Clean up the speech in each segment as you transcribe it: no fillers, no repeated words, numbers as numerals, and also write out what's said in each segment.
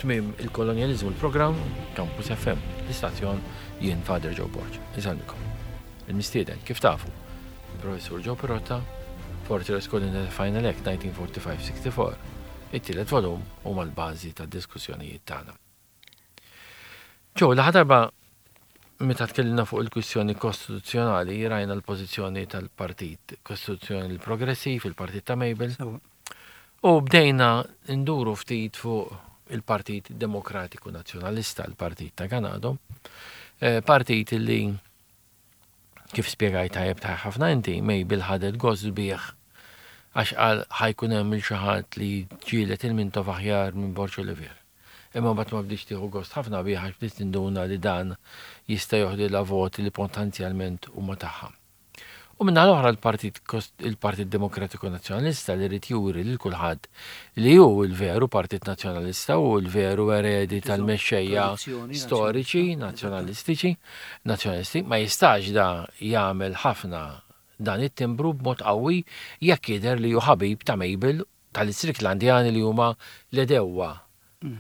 Tmiem il-kolonjaliżmu l-programm Campus FM, l-istazzjon jien Father Joe Borg. Insellmikom. Il-mistieden, kif tafu, il-Professur Joe Pirotta, Fortress Colonial Final Act 1945-64, it-tielet volum huma l-bażi tad-diskussjonijiet tagħna. Joe, l-aħħar darba meta tkellimna fuq il-kwistjoni kostituzzjonali rajna l-pożizzjoni tal-Partit Kostituzzjonali Progressiv, il-Partit ta' Mabel. U bdejna nduru ftit fuq il-Partit Demokratiku Nazzjonalista, il-Partit ta' Ganado, eh, partit li Kif spjegajt tajjeb ta' ħafna inti, Mabel ħadet gost bih għax qal ħa jkun hemm 'il xi ħadd li jiġġieled il-Mintoff aħjar minn Borg Olivier. Imma mbagħad ma bdietx tieħu gost ħafna bih għax bdiet tinduna li dan jista' joħdilha voti li potenzjalment huma tagħha. U min-naħa l-oħra l-Partit il-Partit Demokratiku Nazzjonalista li ried juri lil kulħadd li hu l-veru Partit Nazzjonalista u l-veru eredi tal-mexxejja storiċi nazzjonalistiċi, Nazzjonalisti, ma jistax da jagħmel ħafna dan it-timbru b'mod qawwi jekk jidher li hu ħabib ta' Mabel tal-Istricklandjani li huma l-għedewwa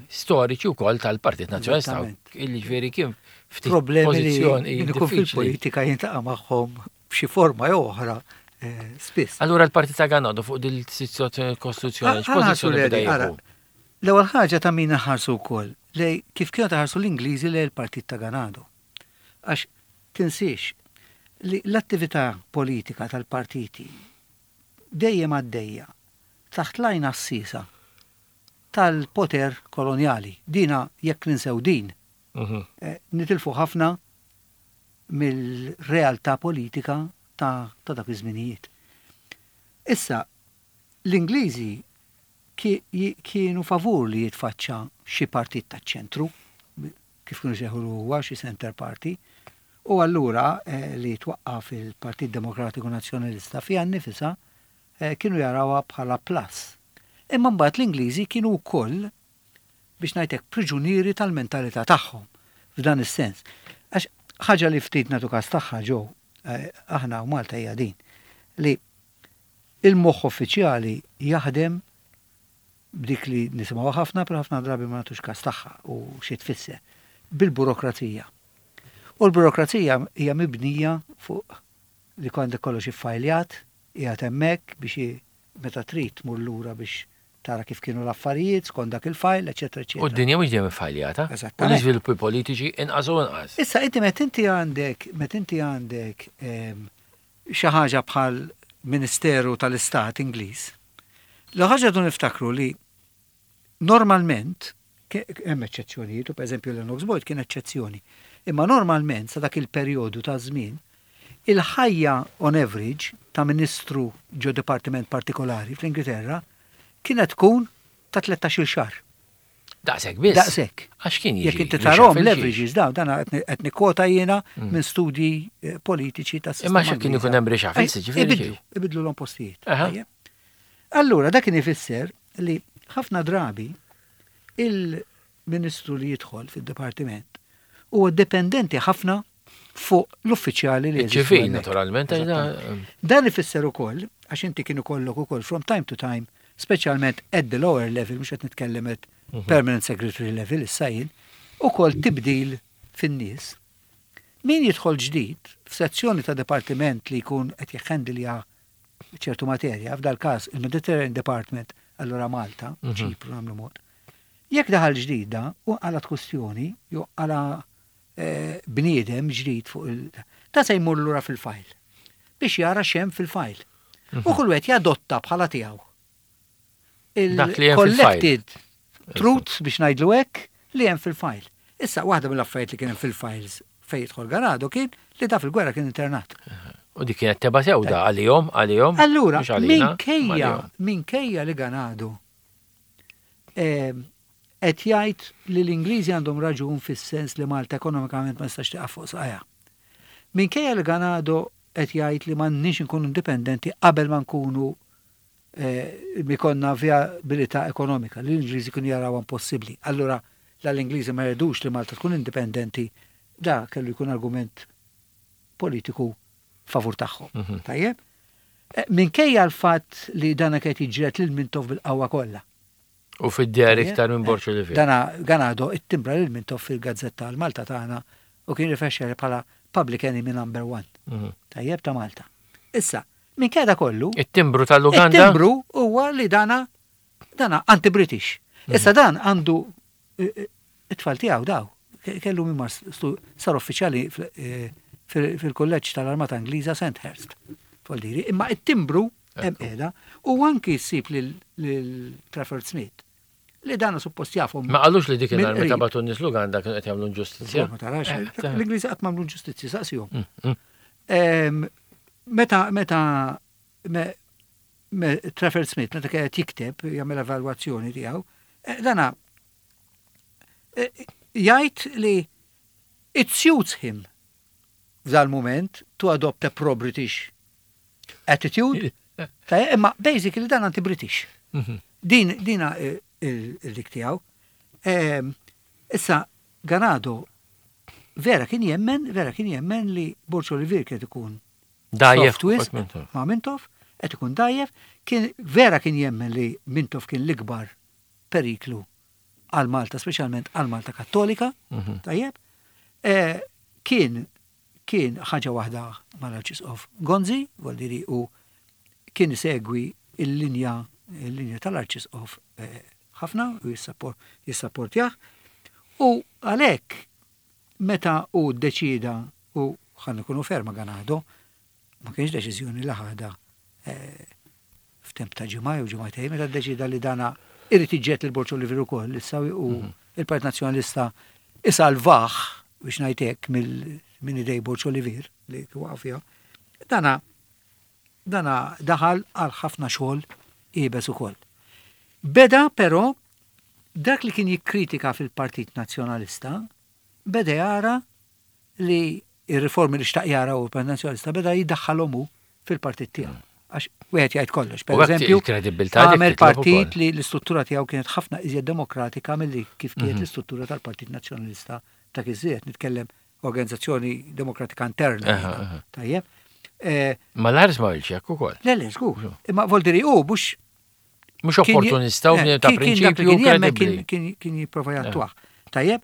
storiċi wkoll tal-Partit Nazzjonalista. Illi ġifieri kien ftit problemi li jkun fil-politika jintaqa' magħhom b'xi forma jew oħra eh, spiss. Allura l-Partit ta' Ganado fuq din is-sitwazzjoni kostituzzjonali x'pożizzjoni beda jieħu? L-ewwel ħaġa ta' min iħarsu wkoll lej kif kienu taħarsu l-Ingliżi lejn il-Partit ta' Ganado. Għax tinsiex li l-attività politika tal-partiti dejjem għaddejja taħt l-għajn għassiesa tal-poter kolonjali. Dina jekk ninsew din, eh, nitilfu ħafna mill-realtà politika ta' dak iż-żminijiet. Issa, l-Ingliżi kienu favur li jitfaċċa xi partit taċ-ċentru, kif kienu jsejħulu huwa xi Centre Party, u allura li twaqqaf il-Partit Demokratiku Nazzjonalista fiha nnifisha kienu jarawha bħala plus. Imma mbagħad l-Ingliżi kienu wkoll, biex ngħid hekk, priġunieri tal-mentalità tagħhom f'dan is-sens. Għax ħaġa li ftit nagħtu każ tagħha Joe, aħna u Malta hija din, li Il-moħħ uffiċjali jaħdem b'dik li nisimgħuha ħafna, però ħafna drabi ma nagħtux każ tagħha u xi tfisser, bil-burokrazija. U l-burokrazija hija mibnija fuq li għandek kollox iffajljat, qiegħed hemmhekk biex meta trid tmur lura biex tara kif kienu l-affarijiet skont dak il-fajl, eċetera, eċetera. U d-dinja mhux dejjem iffajljata. Eżattament. U l-iżviluppi politiċi inqas u inqas. Issa inti meta inti għandek meta inti għandek xi ħaġa bħal Ministeru tal-Istat Ingliż, l-ewwel ħaġa rridu niftakru li normalment, hemm eċċezzjonijiet u pereżempju Lennox Boyd kien eċċezzjoni, imma normalment sa dak il-perjodu ta' żmien, il-ħajja on average ta' ministru ġo dipartiment partikolari fl-Ingilterra kienet tkun ta' tlettax-il xahar. Daqshekk biss? Daqshekk. Għax kien jiġi. Jekk inti tarahom l-averages dawn, dan qed nikkwota jiena mm. minn studji eh, politiċi ta' sistema. Imma x'kien ikun hemm reshuffles, eh, ġifieri. Ibidlu, ibidlu l postijiet. Allura dak kien ifisser li ħafna drabi il-ministru li jidħol fid-dipartiment huwa dipendenti ħafna fuq l-uffiċjali li Ċivil, naturalment. Dan ifisser ukoll, għax inti kienu kollok ukoll from time to time, speċjalment at the lower level, mhux qed nitkellem at mhm. permanent secretary level issa jien, ukoll tibdil fin-nies. Min jidħol ġdid f'sezzjoni ta' dipartiment li jkun qed jħendilja ċertu materja, f'dal każ il-Mediterranean Department, allura Malta, mhm. Ċipru nagħmlu mod. Jekk daħal ġdida u għalat kwestjoni, jew għala bniedem ġdid fuq il. Ta' se jmur lura fil-fajl biex jara x'hemm fil-fajl. U mhm. kull wieħed jadotta bħala tiegħu. Il-collected truths biex ngħidlu hekk li hemm fil-fajl. Issa waħda mill-affarijiet li kien hemm fil-files fejn jidħol Ganado kien li da fil-gwerra kien internat. U dik kienet teba sewda għalihom, għalihom. Allura, minkejja, minkejja li Ganado eh, Qed jgħid li l-Ingliżi għandhom raġun fis-sens li Malta ekonomikament ma tistax tieqaf fuq saqajha. Minkejja li Ganado qed jgħid li m'għandniex inkunu indipendenti qabel ma nkunu ikollna vijabilità ekonomika, li l-Ingliżi kienu jarawha impossibbli. Allura la l-Ingliżi ma jridux li Malta tkun indipendenti, da kellu jkun argument politiku favur tagħhom. Mhm. Tajjeb? Minkejja l-fatt li dan qed jiġġieled lil Mintoff bil-qawwa kollha. U fid-dehar iktar minn Borg Olivier. Dana Ganado ittimbra lil Mintoff fil-gazzetta l-Malta tagħna u kien rifexxa bħala public enemy number one. Tajjeb ta' Malta. Issa, minkejja da kollu. It-timbru tal-Uganda. It-timbru huwa li dana dana anti-British. Issa dan għandu it-tfal tiegħu daw kellu minn sar uffiċjali fil-kulleġġ tal-Armata Ingliża Sandhurst. Voldiri, imma it-timbru hemm qiegħda u anki ssib lil Trafford Smith li dana suppost jafhom. Ma qalux li dik il-nhar meta bagħtu n-nies l-Uganda kienu qed jagħmlu inġustizzja. Ma tarax, l-Ingliżi qatt m'għamlu inġustizzja, saqsihom. Meta meta Trafford Smith meta kien qed jikteb jagħmel evalwazzjoni tiegħu, dana jgħid li it suits him f'dal-mument to adopt a pro-British attitude. Imma basically dan anti-British. Din dina il-dik tiegħu. Issa Ganado vera kien jemmen, vera kien jemmen li Borg Olivier kien ikun Dajjef wisq ma' Mintoff, qed ikun dajjef, kien vera kien jemmen li Mintoff kien l-ikbar periklu għal Malta, speċjalment għal Malta Kattolika, tajjeb. Kien kien ħaġa waħda mal-Arċisqof Gonzi, voldiri u kien isegwi il-linja il-linja tal-Arċisqof ħafna u jissapportjah. U għalhekk meta hu ddeċieda u ħa nkunu fair ma' Ganado, ma kienx deċiżjoni li ħadha f'temp ta' ġimgħa jew ġimgħatejn, meta ddeċieda li dana irid iġġed lil Borg Olivier ukoll issa u il-Partit Nazzjonalista isalvah biex ngħid hekk minn idej Borg Olivier li waqa' fiha. Dana dana daħal għal ħafna xogħol iebes ukoll. Beda però dak li kien jikkritika fil-Partit Nazzjonalista beda jara li ir-riformi li xtaq jara u l-Partit Nazzjonalista beda jiddaħħalhom hu fil-partit tiegħu. Għax wieħed jgħid kollox. Per eżempju, għamel partit li l-istruttura tiegħu kienet ħafna iżjed demokratika milli kif kienet l-istruttura tal-Partit Nazzjonalista ta' iżjed nitkellem organizzazzjoni demokratika interna. Tajjeb. Ma l-ħares ma hekk ukoll. Le, le, żgur. Imma voldiri hu mhux Mhux opportunista u ta' prinċipju kredibbli. Kien jipprova jattwah. Tajjeb,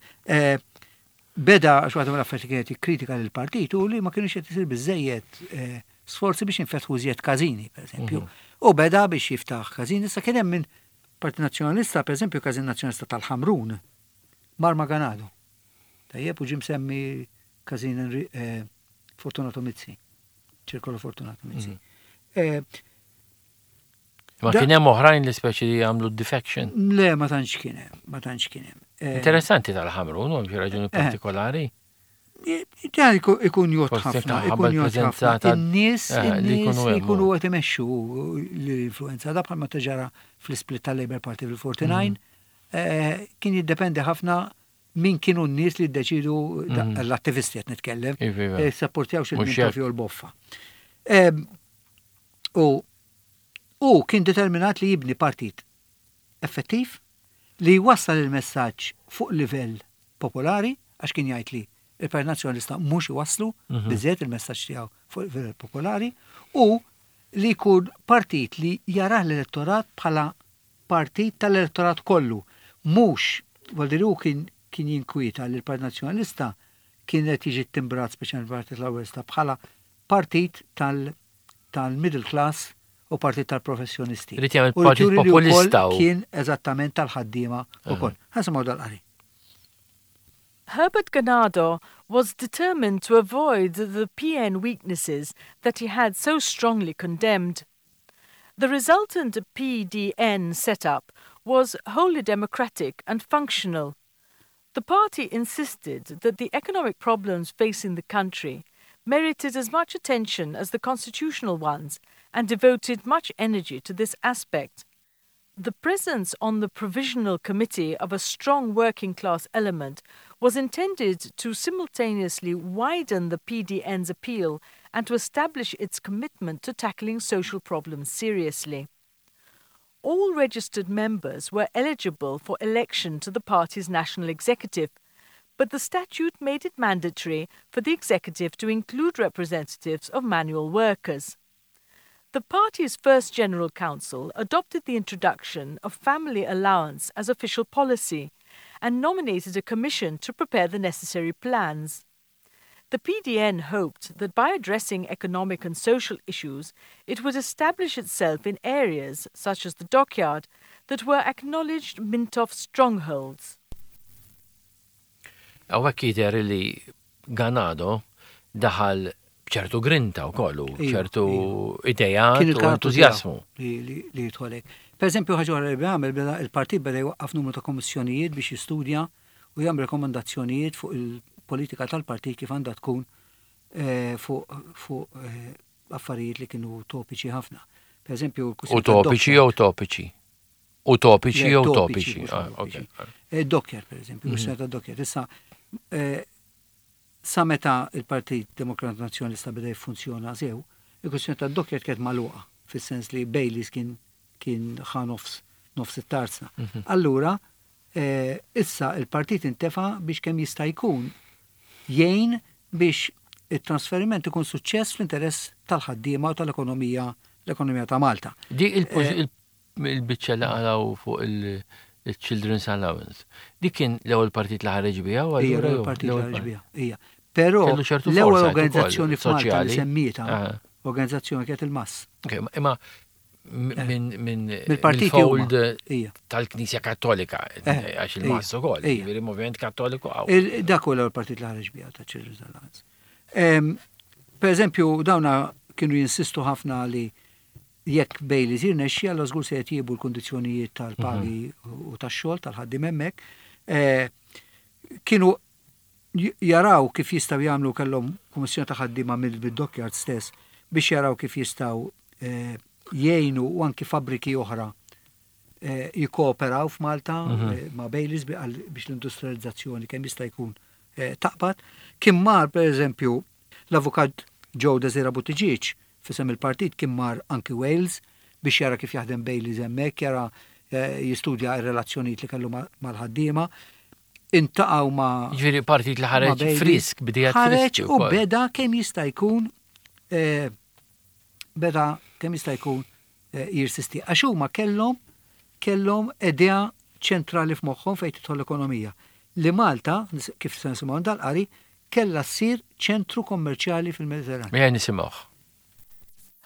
beda għax waħda mill-affarijiet kienet jikkritika lill-partit u li ma kienux qed isir biżejjed sforzi biex jinfetħu iżjed każini, pereżempju. U beda biex jiftaħ każini, issa kien hemm minn Partit Nazzjonalista, pereżempju Każin Nazzjonalista tal-Ħamrun, mar ma' Ganado. Tajjeb, u ġie msemmi każin Fortunato Mizzi, Ċirkolo Fortunato Mizzi. Ma kien hemm oħrajn li speċi li jagħmlu defection? Le, ma tantx kien hemm, ma tantx kien hemm. Interessanti tal-Ħamrun, hemm xi raġuni partikolari. Dan ikun jgħodd ħafna, ikun jgħodd ħafna. In-nies li jkunu qed imexxu l-influenza da bħalma ġara fl-isplit tal-Labour Party fil-49, kien jiddependi ħafna min kienu n-nies li ddeċidu l-attivisti qed nitkellem, sapportjaw xi jew l-boffa. U u kien determinat li jibni partit effettiv li jwassal il-messaġġ fuq livell popolari, għax kien jgħid li il-Partit Nazzjonalista mhux iwasslu biżejjed il-messaġġ tiegħu fuq livell popolari, u li jkun partit li jarah l-elettorat bħala partit tal-elettorat kollu. Mhux, voldiri hu kien kien jinkwieta li l-Partit Nazzjonalista kien qed jiġi timbrat speċjalment Partit Laburista bħala partit tal-middle class u partit tal-professjonisti. Irid jagħmel partit populista. Kien eżattament tal-ħaddiema ukoll. Ħa nisimgħu dal-qari. Herbert Ganado was determined to avoid the PN weaknesses that he had so strongly condemned. The resultant PDN setup was wholly democratic and functional. The party insisted that the economic problems facing the country merited as much attention as the constitutional ones and devoted much energy to this aspect. The presence on the Provisional Committee of a strong working class element was intended to simultaneously widen the PDN's appeal and to establish its commitment to tackling social problems seriously. All registered members were eligible for election to the party's national executive, but the statute made it mandatory for the executive to include representatives of manual workers. The party's first General Council adopted the introduction of family allowance as official policy and nominated a commission to prepare the necessary plans. The PDN hoped that by addressing economic and social issues, it would establish itself in areas such as the dockyard that were acknowledged Mintoff strongholds. Hawnhekk jidher li Ganado daħal b'ċertu grinta wkoll u ċertu ideat u entużjażmu. Li jidħol hekk. Per eżempju, ħaġa oħra li għamel beda il-partit beda jwaqqaf numru ta' kommissjonijiet biex jistudja u jagħmel rekomandazzjonijiet fuq il-politika tal-partit kif għandha tkun fuq affarijiet li kienu topiċi ħafna. Per eżempju, Utopiċi jew topiċi? Utopiċi jew topiċi? Docker, per eżempju, kwistjoni ta' docker. Issa, sa meta il-Partit Demokrat Nazzjonalista beda jiffunzjona sew, il-kwistjoni ta' docker kienet magħluqa, fis-sens li Baileys kien kien ħa nofs nofs it-tarzna. Allura, issa il-partit intefa' biex kemm jista' jkun jgħin biex it-trasferiment ikun suċċess fl-interess tal-ħaddiema u tal-ekonomija l-ekonomija ta' Malta. Di il-biċċa li qalgħu fuq il-Children's Allowance. Dik kien l-ewwel partit li ħareġ biha u allura l-ewwel partit li ħareġ biha. Ija. Però l-ewwel organizzazzjoni f'Malta li semmietha organizzazzjoni kienet il-MASS. Imma minn mill-fold tal-Knisja Kattolika, għax il-MASS ukoll, jiġifieri moviment Kattoliku qawwi. Dak hu l-ewwel partit li ħareġ biha ta' Children's Alliance. Per eżempju, dawna kienu jinsistu ħafna li jekk Baileys jirnexxi, allura żgur se jtjiebu l-kundizzjonijiet tal-pagi u tax-xogħol tal-ħaddiem hemmhekk. Kienu jaraw kif jistgħu jagħmlu kellhom kummissjoni ta' ħaddiema mid-dockyard stess biex jaraw kif jistgħu jgħinu u anki fabbriki oħra jikkooperaw f'Malta ma' Baileys biex l-industrializzazzjoni kemm jista' jkun taqbad. Kien mar pereżempju l-avukat Joe Desira Buttigieg f'isem il-partit kien mar anki Wales biex jara kif jaħdem Baileys hemmhekk, jara jistudja r-relazzjonijiet li kellu mal-ħaddiema. Intaqgħu ma' Jiġifieri partit li ħareġ frisk, bidejat friski. Ħareġ u beda kemm jista' jkun beda kemm jista' jkun jirsisti. Għax huma kellhom kellhom idea ċentrali f'moħħhom fejn tidħol l-ekonomija. Li Malta, kif se nisimgħu dal-qari, kellha ssir ċentru kommerċjali fil-Mediterran. Ejja nisimgħuh.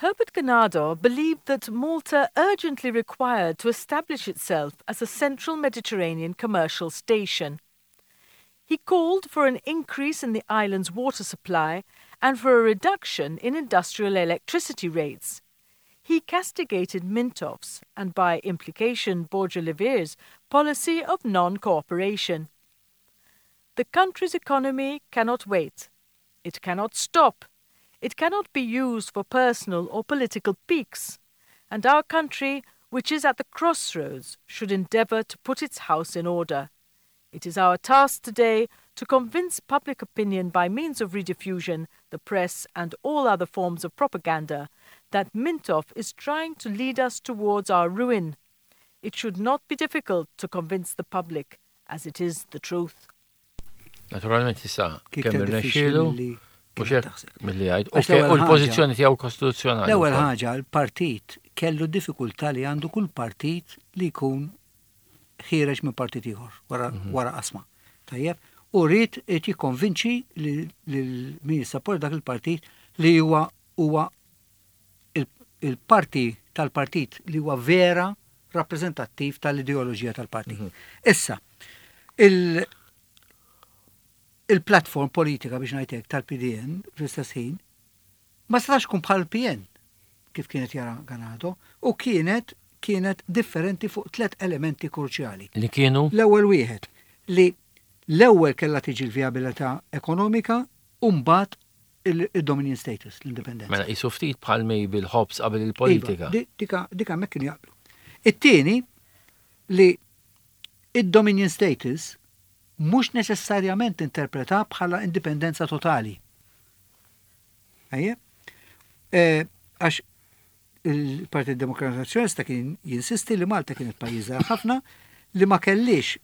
Herbert Ganado believed that Malta urgently required to establish itself as a central Mediterranean commercial station. He called for an increase in the island's water supply and for a reduction in industrial electricity rates. He castigated Mintoff's, and by implication Borg Olivier's, policy of non-cooperation. The country's economy cannot wait. It cannot stop. It cannot be used for personal or political piques. And our country, which is at the crossroads, should endeavour to put its house in order. It is our task today to convince public opinion by means of rediffusion, the press, and all other forms of propaganda that Mintoff is trying to lead us towards our ruin. It should not be difficult to convince the public, as it is the truth. Naturalment issa kemm irnexxielu mhux hekk milli jgħid. U l-pożizzjoni tiegħu kostituzzjonali. L-ewwel ħaġa l-partit kellu diffikultà li għandu kull partit li jkun ħiereġ minn partit ieħor wara mhm. qasma. Tajjeb, u rrid qed jikkonvinċi lil min jissapporta dak il-partit li huwa huwa il-parti tal-partit li huwa vera rappreżentattiv tal-ideoloġija tal-partit. Mhm. Issa, il-platform politika biex ngħidlek tal-PDN fl-istess ħin ma setax tkun bħal PN kif kienet jara Ganado u kienet kienet differenti fuq tlet elementi kruċjali. Li kienu? L-ewwel wieħed li l-ewwel kellha tiġi l-vijabilità ekonomika u mbagħad il-dominion status, l-indipendenza. Mela qisu ftit bħal Mabel Hobbes qabel il-politika. Iva, dika dika hemmhekk kienu jaqblu. It-tieni li id-dominion status mhux neċessarjament interpreta bħala indipendenza totali. Ejja? Għax il-Partit Demokratiku Nazzjonalista kien jinsisti li Malta kienet pajjiż żgħir ħafna li ma kellix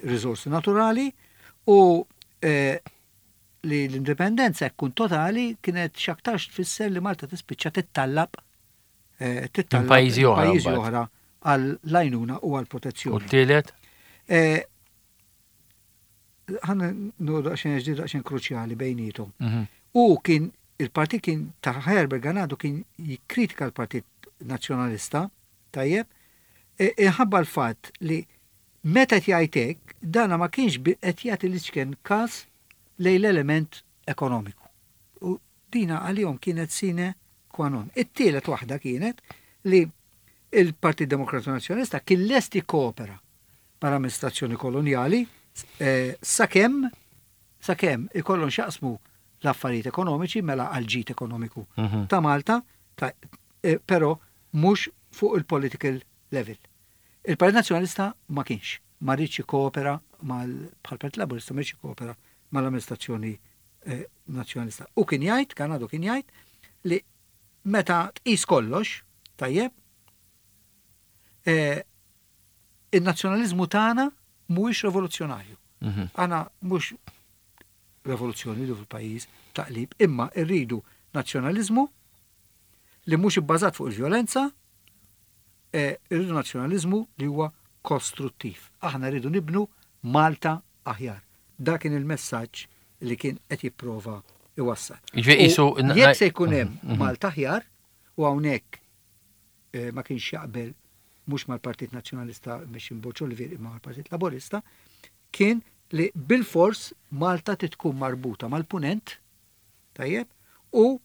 riżorsi naturali u li l-indipendenza jekk tkun totali kienet x'aktarx tfisser li Malta tispiċċa tittallab Tittalab pajjiżi oħra pajjiżi mbagħad. oħra għall-għajnuna u U għall-protezzjoni. t-tielet? Ħa nuru daqsxejn ġdid daqsxejn kruċjali bejnietom. U kien il-partit kien ta' Herbert Ganado kien jikkritika l-Partit Nazzjonalista, tajjeb, inħabba l-fatt li meta qed jgħid hekk, dana ma kienx qed jagħti l-iċken każ lejn l-element ekonomiku. U dina għalihom kienet sine qua non. It-tielet waħda kienet li il-Partit Demokratiku Nazzjonalista kien lest jikkoopera mal-amministrazzjoni kolonjali sakemm ikollhom x'jaqsmu l-affarijiet ekonomiċi mela għal ġid ekonomiku ta' Malta, però mhux fuq il-political level. Il-Partit Nazzjonalista ma kienx, ma riedx jikkoopera mal bħal Partit Laburista ma riedx jikkoopera mal-amministrazzjoni nazzjonalista. U kien jgħid, Ganado kien jgħid li meta tqis kollox, tajjeb, il-nazzjonaliżmu tagħna mhuwiex rivoluzzjonarju. Aħna mhux rivoluzzjoni li fil-pajjiż taqlib, imma rridu nazzjonaliżmu li mhux ibbażat fuq il-vjolenza, irridu nazzjonaliżmu li huwa kostruttiv. Aħna rridu nibnu Malta aħjar. Dak kien il-messaġġ li kien qed jipprova iwassal. Jiġifieri U qisu jekk se jkun hemm Malta aħjar, u hawnhekk ma kienx jaqbel mhux mal-Partit Nazzjonalista mexxi Borg Olivier imma mal-Partit Laburista, kien li bil-fors Malta tkun marbuta mal-punent, tajjeb, u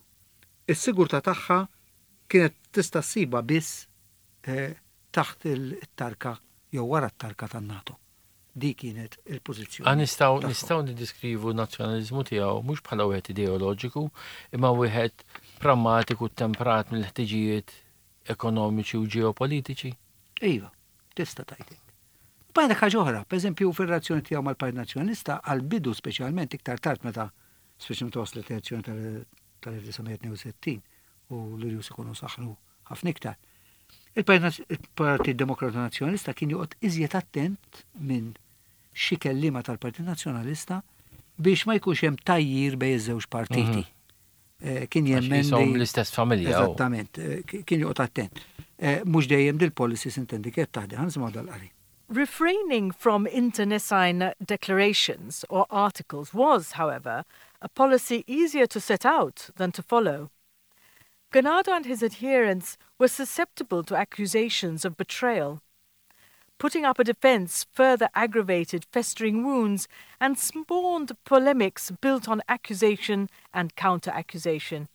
s-sigurtà tagħha kienet tista' ssiba biss taħt il-tarka jew wara t-tarka tan-NATO. Di kienet il-pożizzjoni Ah, tagħhom. nistgħu niddeskrivu n-nazzjonaliżmu tiegħu mhux bħala wieħed ideoloġiku, imma wieħed prammatiku temperat mill-ħtiġijiet ekonomiċi u ġeopolitiċi. Iva, tista' tgħid. Bajna ħaġa oħra, pereżempju fir-relazzjoni tiegħu mal-Partit Nazzjonalista għall-bidu speċjalment iktar tard meta speċjalment waslet l-elezzjoni tal-1962 u l-Irjus ikunu saħnu ħafna iktar. Il-Partit Demokrata Nazzjonalista kien joqgħod iżjed attent minn xi kelliema tal-Partit Nazzjonalista biex ma jkunx hemm tajjir bejn iż-żewġ partiti. Kien Għax jemmen qishom li l-istess familja, u. Eżattament, kien joqgħod attent. Mhux dejjem dil-policy sintendi kienet taħdem, ħa nisimgħu dal-qari. Refraining from internecine declarations or articles was, however, a policy easier to set out than to follow. Ganado and his adherents were susceptible to accusations of betrayal. Putting up a defense further aggravated festering wounds and spawned polemics built on accusation and counter-accusation.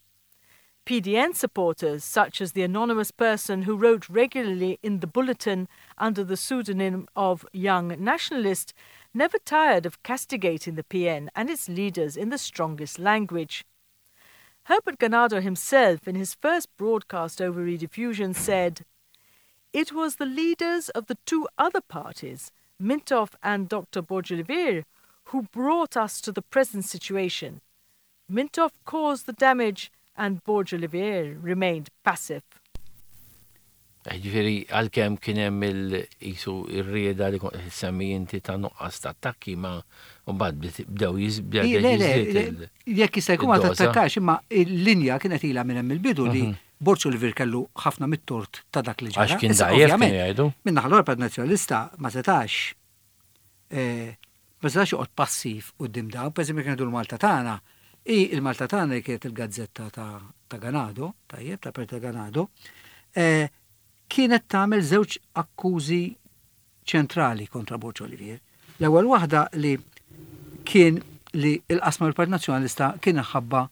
PDN supporters, such as the anonymous person who wrote regularly in the Bulletin under the pseudonym of Young Nationalist, never tired of castigating the PN and its leaders in the strongest language. Herbert Ganado himself, in his first broadcast over Rediffusion, said, It was the leaders of the two other parties, Mintoff and Dr. Borg Olivier, who brought us to the present situation. Mintoff caused the damage and Borg Olivier remained passive. Ġifieri, għalkemm kien hemm il-qisu ir-rieda li kont qed semmi inti ta' nuqqas ta' attakki, ma mbagħad bdew bdew Le, le, jiżdied le, jekk jista' jkun ma id-doża. tattakkax, imma il-linja kienet ilha minn hemm il-bidu li Borg Olivier kellu ħafna mit-tort ta' dak li ġara. Għax kien Issa, dgħajjef kienu ovvjament, jgħidu. Minn naħa l-oħra Partit Nazzjonalista ma setax joqgħod passiv quddiem dawn, pereżempju kienu jgħidu l-Malta tagħna. I il-Malta tagħna li kienet il-gazzetta ta' Ganado, tajjeb, ta' Partit Ganado, kienet tagħmel żewġ akkużi ċentrali kontra Borg Olivier. L-ewwel waħda li kien li il-qasma l-Partit Nazzjonalista kien ħabba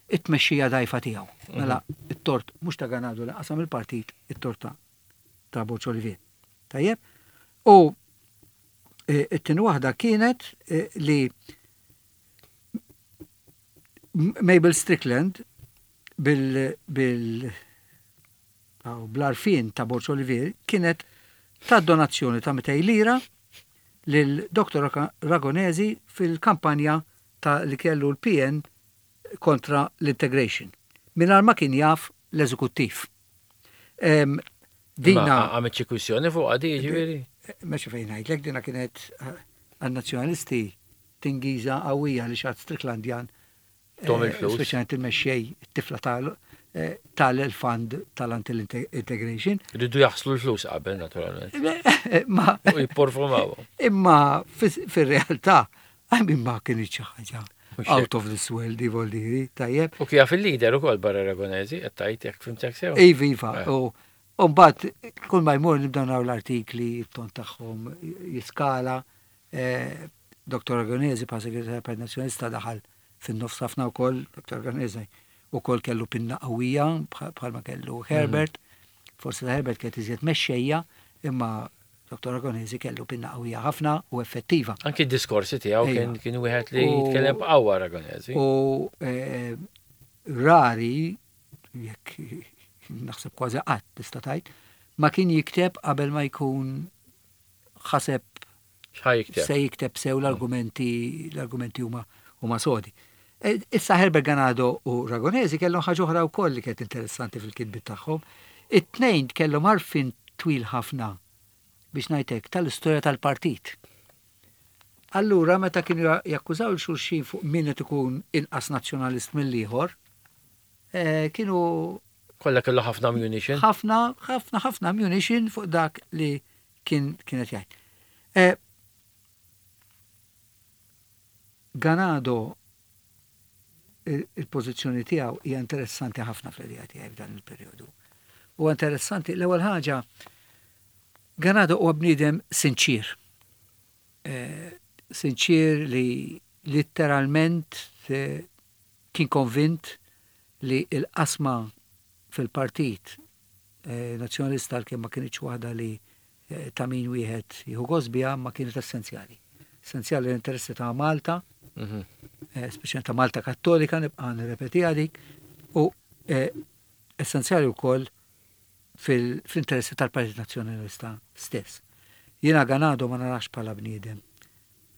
it-tmexxija dgħajfa tiegħu. Mela it-tort mhux ta' Ganado li qasam il-partit, it-tort ta' Borg Olivier. Tajjeb? U it-tieni waħda kienet li Mabel Strickland bl-għarfien ta' Borg Olivier kienet ta' donazzjoni ta' 200 lira lil Dr. Ragonesi fil-kampanja ta' li kellu l-PN kontra l-integration. Mingħajr ma kien jaf l-eżekuttiv. Dina Ma għamet xi kwistjoni fuq għadi, ġifieri? Meċi fejn ngħidlek, dina kienet għan-nazzjonalisti tingiża qawwija li xat Stricklandjan. Tom il-flus. Speċjalment il-mexxej, it-tifla tal-fund tal-anti-integration. Ridu jaħslu l-flus qabel, naturalment. Ma. U jipporfumawhom. Imma fir-realtà, għajmin ma kien xi ħaġa out of this world, voldiri, tajjeb. U kif il-leader ukoll barra Ragonesi, qed tgħid jekk fimtek sew. Iva, iva. Eh. U mbagħad kull ma jmur nibdew naraw l-artikli, it-ton tagħhom jiskala. Eh, Dr. Ragonesi, pa' segretarju Partit Nazzjonalista daħal fin-nofs ħafna wkoll, Dr. Ragonesi ukoll kellu pinna qawwija bħalma kellu Herbert. Forsi ta' Herbert kienet iżjed mexxejja, imma Dr. Ragonesi kellu pinna qawwija ħafna u effettiva. Anki d-diskorsi tiegħu kien kien wieħed li jitkellem b'qawwa Ragonesi. U eh, rari, jekk naħseb kważi qatt tista' tgħid, ma kien jikteb qabel ma jkun ħaseb Se jikteb sew l-argumenti l-argumenti huma huma sodi. E, issa Herbert Ganado u Ragonesi kellhom ħaġa oħra wkoll li kienet interessanti fil-kitbiet tagħhom. It-tnejn kellhom għarfien twil ħafna biex ngħidlek tal-istorja tal-partit. Allura meta kienu jakkużaw 'l xulxin fuq min qed ikun inqas nazzjonalist mill-ieħor, eh, kienu Kollha kellu ħafna ammunition. Ħafna, ħafna, ħafna ammunition fuq dak li kien kienet jgħid. Eh, Ganado il-pożizzjoni tiegħu hija interessanti ħafna fl-idea tiegħi f'dan il-perjodu. Huwa interessanti l-ewwel ħaġa Ganado huwa bniedem sinċir. Eh, sinċir li litteralment eh, kien konvint li l-qasma fil-partit eh, nazzjonalista għalkemm ma kinitx waħda li ta' min wieħed jieħu gost biha ma kienet essenzjali. Essenzjali l-interessi ta' Malta, mhm. eh, speċjalment ta' Malta Kattolika, nibqa' nirrepetiha dik, u eh, essenzjali wkoll fil-interessi tal-Partit Nazzjonalista stess. Jiena Ganado ma narax bħala bniedem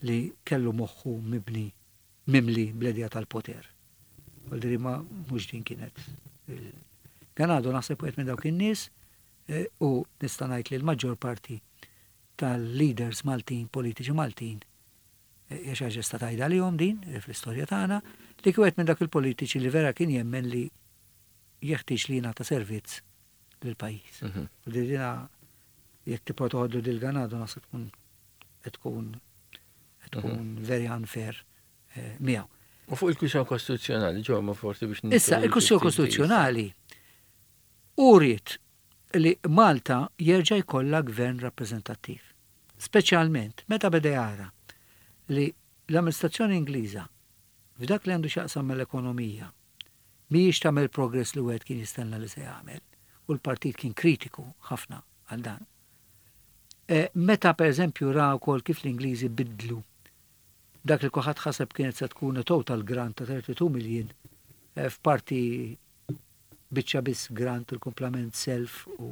li kellu moħħu mibni mimli bl-idea tal-poter. Għaldiri ma mhux din kienet. Ganado naħseb wieħed minn dawk in-nies U nista' ngħid li l-maġġor parti tal-leaders Maltin, politiċi Maltin, hija xi ħaġa tista' tgħidha għalihom din fl-istorja tagħna, li kien wieħed minn dawk il-politiċi li vera kien jemmen li jeħtieġ li jingħata servizz lill-pajjiż. U dina jekk tibqa' toħodlu dil Ganado naħseb tkun qed tkun qed tkun very unfair miegħu. U fuq il-kwistjoni kostituzzjonali, ġew ma forsi biex Issa, il-kwistjoni kostituzzjonali Hu ried li Malta jerġa' jkollha gvern rappreżentattiv, speċjalment meta beda jara li l-amministrazzjoni Ingliża f'dak li għandu x'jaqsam mal-ekonomija mhijiex tagħmel progress li wieħed kien jistenna li se jagħmel u l-partit kien kritiku ħafna għal dan. Meta pereżempju ra wkoll kif l-Ingliżi biddlu dak li kulħadd ħaseb kienet se tkun a total grant ta' 32 million f'parti biċċa biss grant u l-kumplament self u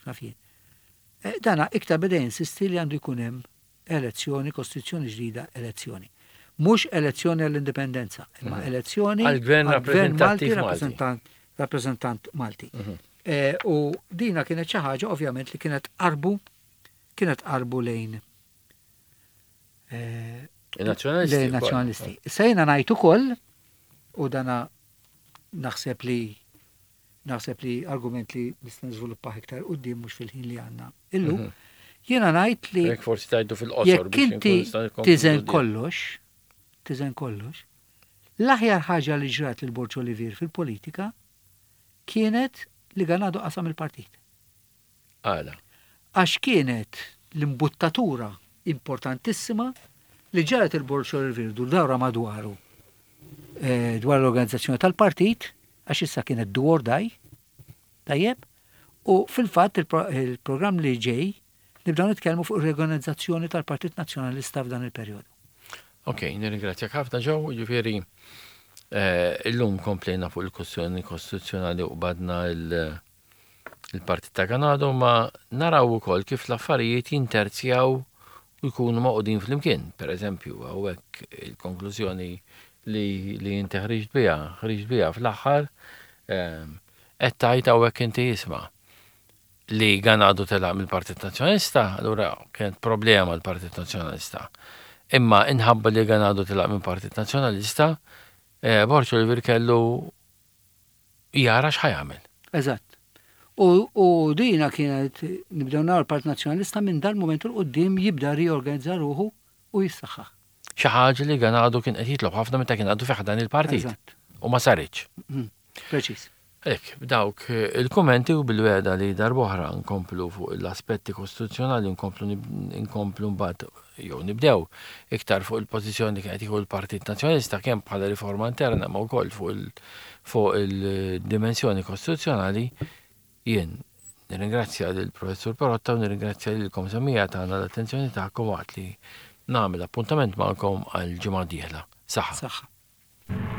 x'naf jien. Eh, dana iktar beda jinsisti li għandu jkun hemm elezzjoni, kostituzzjoni ġdida, elezzjoni. Mhux elezzjoni għall-indipendenza, imma mhm. elezzjoni għall-gvern Malti, rappreżentant Malti. Mhm. Eh, u dina kienet xi ħaġa ovvjament li kienet qarbu kienet qarbu lejn eh, Il-nazzjonalisti. Lejn nazzjonalisti. Sejna ngħid ukoll u dana Naħseb li naħseb li argument li nista' niżviluppah iktar quddiem mhux fil-ħin li għandna illum. Mhm. Jiena ngħid li Jekk forsi tgħidu fil-qosor jekk inti tiżen kollox, tiżen kollox, l-aħjar ħaġa li ġrat lil Borg Olivier fil-politika kienet li Ganado qasam il-partit. Għala? Għax kienet l-imbuttatura importantissima li ġagħlet il-Bord Olivier dur dawra madwaru dwar l-organizzazzjoni tal-partit, għax issa kienet do or die, tajjeb, u fil-fatt il-programm li ġej nibdew nitkellmu fuq ir-riorganizzazzjoni tal-Partit Nazzjonalista f'dan il-perjodu. Ok, nirringrazzjak ħafna Joe, jiġifieri illum komplejna fuq il-kwestjoni kostituzzjonali u qbadna il- il-Partit ta' Ganado ma naraw ukoll kif l-affarijiet jinterzjaw u jkunu magħqudin flimkien. Per eżempju, hawnhekk il-konklużjoni li, li inti ħriġt biha, ħriġt biha fl-aħħar ehm, qed tgħid hawnhekk inti isma' li Ganado telaq mill-Partit Nazzjonalista, allura kienet problema l-Partit Nazzjonalista. Imma inħabba li Ganado telaq mill-Partit Nazzjonalista, eh, Borg Olivier kellu jara x'ħa jagħmel. Eżatt. U, u dina kienet nibdew naraw l-Partit Nazzjonalista minn dal-mument 'il quddiem jibda riorganizza ruħu u jissaħħaħ. Xi ħaġa li Ganado kien qed jitlob ħafna meta kien għadu fi ħdan il-partit. Eżatt. U ma saritx. Preċiż. Hekk, b'dawk il-kummenti u bil-wegħda li darb'oħra nkomplu fuq l-aspetti kostituzzjonali u nkomplu nkomplu mbagħad jew nibdew iktar fuq il-pożizzjoni li kien qed jieħu l-Partit Nazzjonalista kemm bħala riforma interna ma wkoll fuq il fuq il-dimensjoni kostituzzjonali, jien nirringrazzja lill-Professur Perotta u nirringrazzja lilkom semmiegħa tagħna l-attenzjoni tagħkom waqt li nagħmel appuntament magħkom għall-ġimgħa d-dieħla. Saħħa. Saħħa.